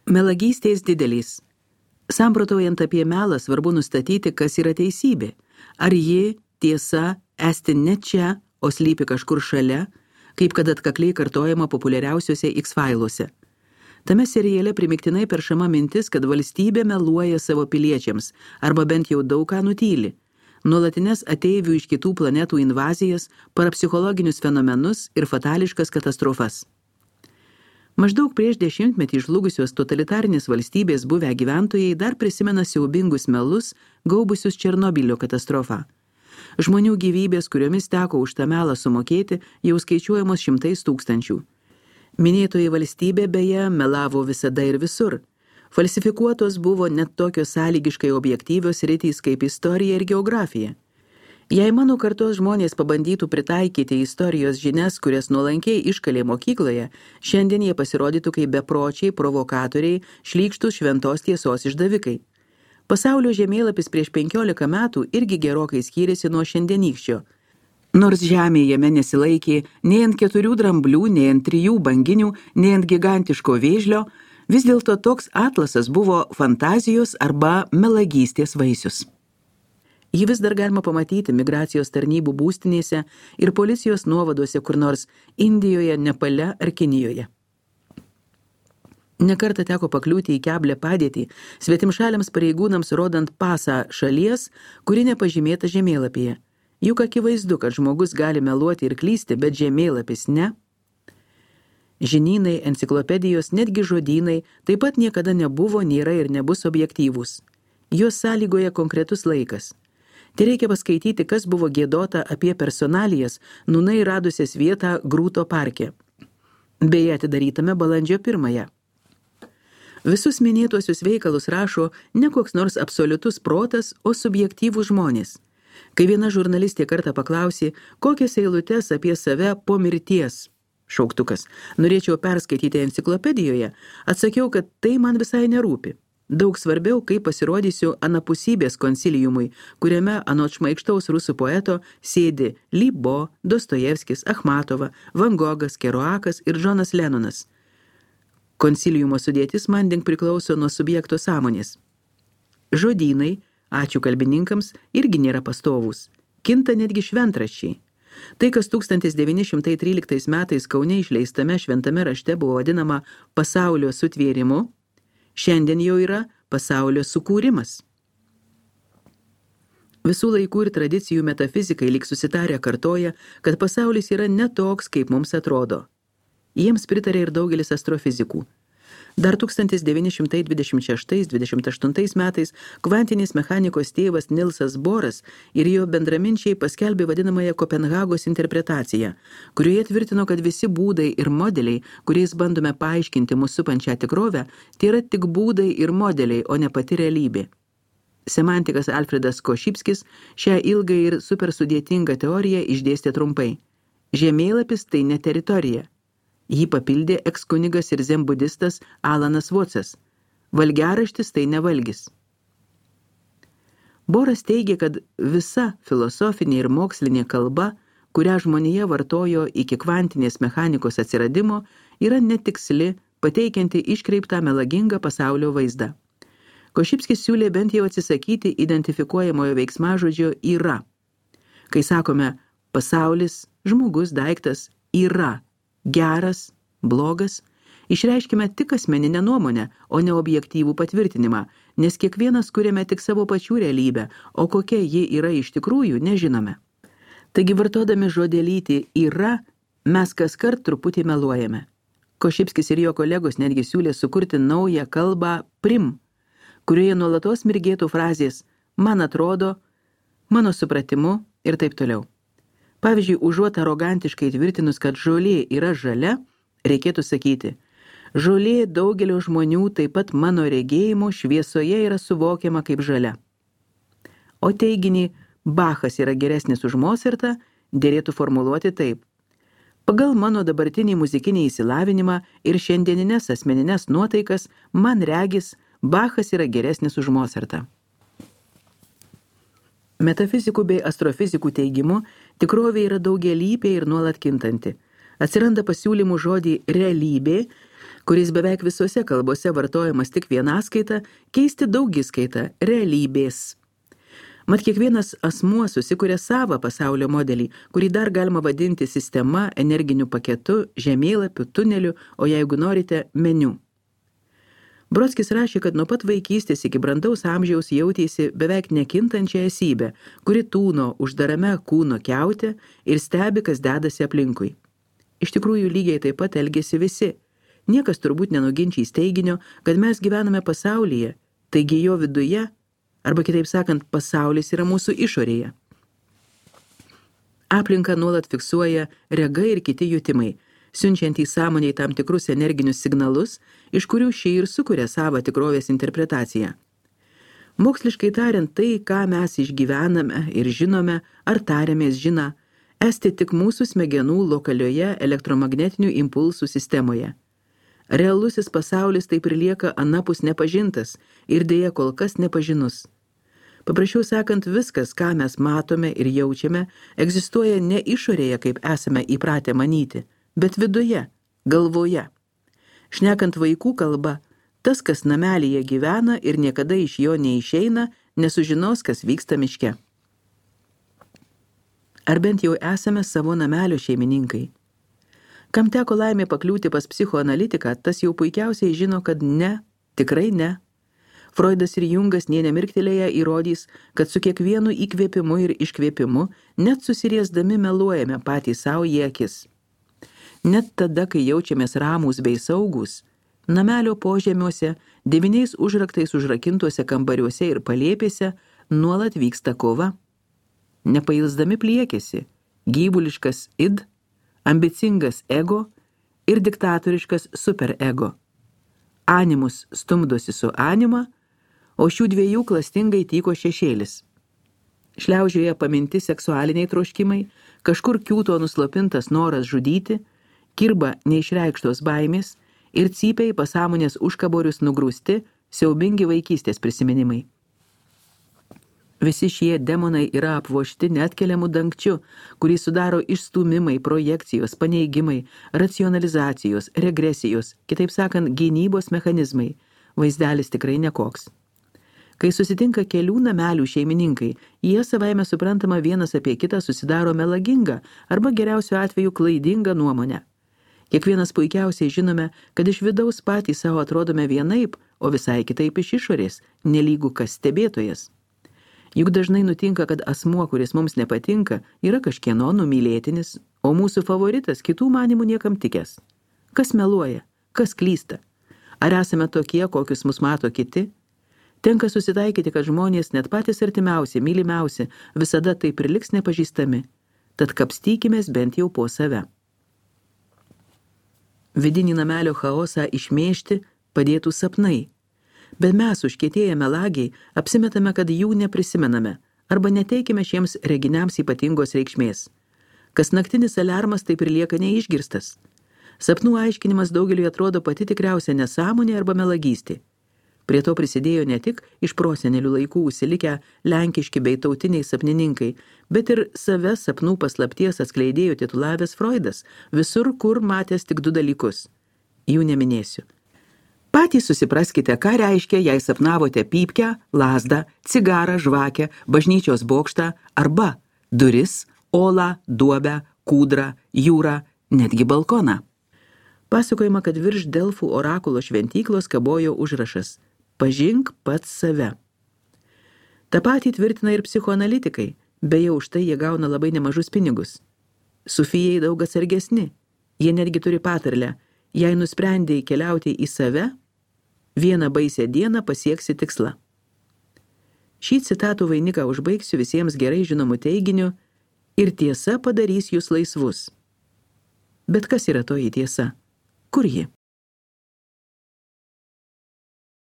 Melagystės didelės. Samprotaujant apie melą, svarbu nustatyti, kas yra teisybė. Ar ji, tiesa, esti ne čia, o slypi kažkur šalia, kaip kad atkakliai kartojama populiariausiuose X-failuose. Tame seriale primiktinai peršama mintis, kad valstybė meluoja savo piliečiams, arba bent jau daug ką nutyli. Nuolatines ateivių iš kitų planetų invazijas, parapsichologinius fenomenus ir fatališkas katastrofas. Maždaug prieš 10-metį žlugusios totalitarinės valstybės buvę gyventojai dar prisimena siaubingus melus, gaubusius Černobylio katastrofą. Žmonių gyvybės, kuriomis teko už tą melą sumokėti, jau skaičiuojamos 100 000. Minėtoji valstybė beje melavo visada ir visur. Falsifikuotos buvo net tokios sąlygiškai objektyvios sritys kaip istorija ir geografija. Jei mano kartos žmonės pabandytų pritaikyti istorijos žinias, kurias nuolankiai iškalė mokykloje, šiandien jie pasirodytų kaip bepročiai, provokatoriai, šlykštus šventos tiesos išdavikai. Pasaulio žemėlapis prieš 15 metų irgi gerokai skyrėsi nuo šiandienykščio. Nors žemė jame nesilaikė nei ant 4 dramblių, nei ant 3 banginių, nei ant gigantiško vėžlio, vis dėlto toks atlasas buvo fantazijos arba melagystės vaisius. Jį vis dar galima pamatyti migracijos tarnybų būstinėse ir policijos nuovaduose kur nors Indijoje, Nepale ar Kinijoje. Nekartą teko pakliūti į keblią padėtį svetimšaliams pareigūnams rodant pasą šalies, kuri nepažymėta žemėlapyje. Juk akivaizdu, kad žmogus gali meluoti ir klysti, bet žemėlapis ne. Žinynai, enciklopedijos, netgi žodynai taip pat niekada nebuvo, nėra ir nebus objektyvūs. Juos sąlygoja konkretus laikas. Tai reikia paskaityti, kas buvo giedota apie personalijas, nūnai radusias vietą Grūto parke. Beje, atidarytame balandžio 1. Visus minėtuosius veikalus rašo ne koks nors absoliutus protas, o subjektyvūs žmonės. Kai viena žurnalistė kartą paklausė, kokias eilutes apie save po mirties, šauktukas, norėčiau perskaityti enciklopedijoje, atsakiau, kad tai man visai nerūpi. Daug svarbiau, kaip pasirodysiu anapusybės konsiliumui, kuriame anot šmaikštaus rusų poeto sėdi Libo, Dostojevskis, Achmatova, Van Gogas, Kerouakas ir Džonas Lennonas. Konsiliumo sudėtis manding priklauso nuo subjekto sąmonės. Žodynai, ačiū kalbininkams, irgi nėra pastovūs. Kinta netgi šventraščiai. Tai, kas 1913 metais Kaune išleistame šventame rašte buvo vadinama pasaulio sutvėrimu, šiandien jau yra pasaulio sukūrimas. Visų laikų ir tradicijų metafizikai lyg susitarę kartoja, kad pasaulis yra ne toks, kaip mums atrodo. Jiems pritarė ir daugelis astrofizikų. Dar 1926-28 metais kvantinės mechanikos tėvas Nilsas Boras ir jo bendraminčiai paskelbė vadinamąją Kopenhagos interpretaciją, kurioje tvirtino, kad visi būdai ir modeliai, kuriais bandome paaiškinti mūsų supančią tikrovę, tai yra tik būdai ir modeliai, o ne pati realybė. Semantikas Alfredas Košipskis šią ilgą ir supersudėtingą teoriją išdėstė trumpai. Žemėlapis tai ne teritorija. Jį papildė ekskunigas ir zenbudistas Alanas Vocas. Valgiaraštis tai ne valgis. Boras teigia, kad visa filosofinė ir mokslinė kalba, kurią žmonija vartojo iki kvantinės mechanikos atsiradimo, yra netiksli, pateikianti iškreiptą melagingą pasaulio vaizdą. Košipskis siūlė bent jau atsisakyti identifikuojamojo veiksmažodžio yra. Kai sakome pasaulis, žmogus, daiktas yra, geras, blogas, išreiškime tik asmeninę nuomonę, o ne objektyvų patvirtinimą, nes kiekvienas kuriame tik savo pačių realybę, o kokia ji yra iš tikrųjų, nežinome. Taigi vartodami žodelytį yra, mes kaskart truputį meluojame. Košipskis ir jo kolegos netgi siūlė sukurti naują kalbą prim, kurioje nuolatos mirgėtų frazės man atrodo, mano supratimu ir taip toliau. Pavyzdžiui, užuot arogantiškai tvirtinus, kad žolė yra žalia, reikėtų sakyti, žolė daugelio žmonių taip pat mano regėjimo šviesoje yra suvokiama kaip žalia. O teiginį Bachas yra geresnis už Mozartą dėrėtų formuluoti taip. Pagal mano dabartinį muzikinį įsilavinimą ir šiandieninės asmeninės nuotaikas, man regis, Bachas yra geresnis už Mozartą. Metafizikų bei astrofizikų teigimu, tikrovė yra daugialypė ir nuolat kintanti. Atsiranda pasiūlymų žodį realybė, kuris beveik visose kalbose vartojamas tik vienaskaita, keisti daugiskaitą realybės. Mat kiekvienas asmuo susikuria savą pasaulio modelį, kurį dar galima vadinti sistema, energiniu paketu, žemėlapiu, tuneliu, o jeigu norite, meniu. Brodskis rašė, kad nuo pat vaikystės iki brandaus amžiaus jautėsi beveik nekintančią esybę, kuri tūno uždarame kūno kiaute ir stebi, kas dedasi aplinkui. Iš tikrųjų lygiai taip pat elgėsi visi. Niekas turbūt nenuginčys teiginio, kad mes gyvename pasaulyje, taigi jo viduje, arba kitaip sakant, pasaulis yra mūsų išorėje. Aplinką nuolat fiksuoja rega ir kiti jutimai, siunčiant į sąmonėj tam tikrus energinius signalus, iš kurių ši ir sukuria savo tikrovės interpretaciją. Moksliškai tariant, tai, ką mes išgyvename ir žinome, ar tariamės žina, esti tik mūsų smegenų lokalioje elektromagnetinių impulsų sistemoje. Realusis pasaulis taip ir lieka anapus nepažintas ir dėja kol kas nepažinus. Paprasčiau sakant, viskas, ką mes matome ir jaučiame, egzistuoja ne išorėje, kaip esame įpratę manyti, bet viduje, galvoje. Šnekant vaikų kalba, tas, kas namelyje gyvena ir niekada iš jo neišeina, nesužinos, kas vyksta miške. Ar bent jau esame savo namelio šeimininkai? Kam teko laimė pakliūti pas psichoanalitiką, tas jau puikiausiai žino, kad ne, tikrai ne. Freudas ir Jungas nė nemirktelėję įrodys, kad su kiekvienu įkvėpimu ir iškvėpimu net susiriesdami meluojame patys savo į akis. Net tada, kai jaučiamės ramūs bei saugūs, namelio požemiuose, 9 užraktais užrakintuose kambariuose ir palėpėse nuolat vyksta kova. Nepailsdami pliekėsi gyvuliškas id, ambicingas ego ir diktatoriškas superego. Animus stumdosi su anima, o šių dviejų klastingai tyko šešėlis. Šliaužioje paminti seksualiniai troškimai, kažkur kiūto nuslopintas noras žudyti, kirba neišreikštos baimės ir cypiai pasąmonės užkaborius nugrūsti siaubingi vaikystės prisiminimai. Visi šie demonai yra apvožti neatkeliamų dangčiu, kurį sudaro išstūmimai, projekcijos, paneigimai, racionalizacijos, regresijos, kitaip sakant, gynybos mechanizmai. Vaizdelis tikrai nekoks. Kai susitinka kelių namelių šeimininkai, jie savaime suprantama vienas apie kitą susidaro melagingą arba geriausiu atveju klaidingą nuomonę. Kiekvienas puikiausiai žinome, kad iš vidaus patys savo atrodome vienaip, o visai kitaip iš išorės, nelygu kas stebėtojas. Juk dažnai nutinka, kad asmuo, kuris mums nepatinka, yra kažkieno numylėtinis, o mūsų favoritas kitų manimų niekam tikęs. Kas meluoja? Kas klysta? Ar esame tokie, kokius mus mato kiti? Tenka susitaikyti, kad žmonės, net patys artimiausi, mylimiausi, visada taip ir liks nepažįstami. Tad kapstykimės bent jau po save. Vidinį namelio chaosą išmėžti padėtų sapnai. Bet mes, užkietėję melagiai, apsimetame, kad jų neprisimename arba neteikime šiems reginiams ypatingos reikšmės. Kas naktinis aliarmas taip ir lieka neišgirstas. Sapnų aiškinimas daugeliui atrodo pati tikriausia nesąmonė arba melagystė. Prie to prisidėjo ne tik iš prosenelių laikų užsilikę lenkiški bei tautiniai sapnininkai, bet ir save sapnų paslapties atskleidėjo titulavęs Freudas, visur kur matęs tik 2 dalykus. Jų neminėsiu. Patys susipraskite, ką reiškia, jei sapnavote pypkę, lazdą, cigarą, žvakę, bažnyčios bokštą arba duris, olą, duobę, kūdrą, jūrą, netgi balkoną. Pasakojama, kad virš Delfų orakulo šventyklos kabojo užrašas „Pažink pats save". Ta patį tvirtina ir psichoanalitikai, beje, už tai jie gauna labai nemažus pinigus. Sufijai daug atsargesni, jie netgi turi patarlę, jei nusprendėjai keliauti į save, vieną baisią dieną pasieksi tikslą. Šį citatų vainiką užbaigsiu visiems gerai žinomų teiginiu ir tiesa padarys jūs laisvus. Bet kas yra toji tiesa? Kur ji?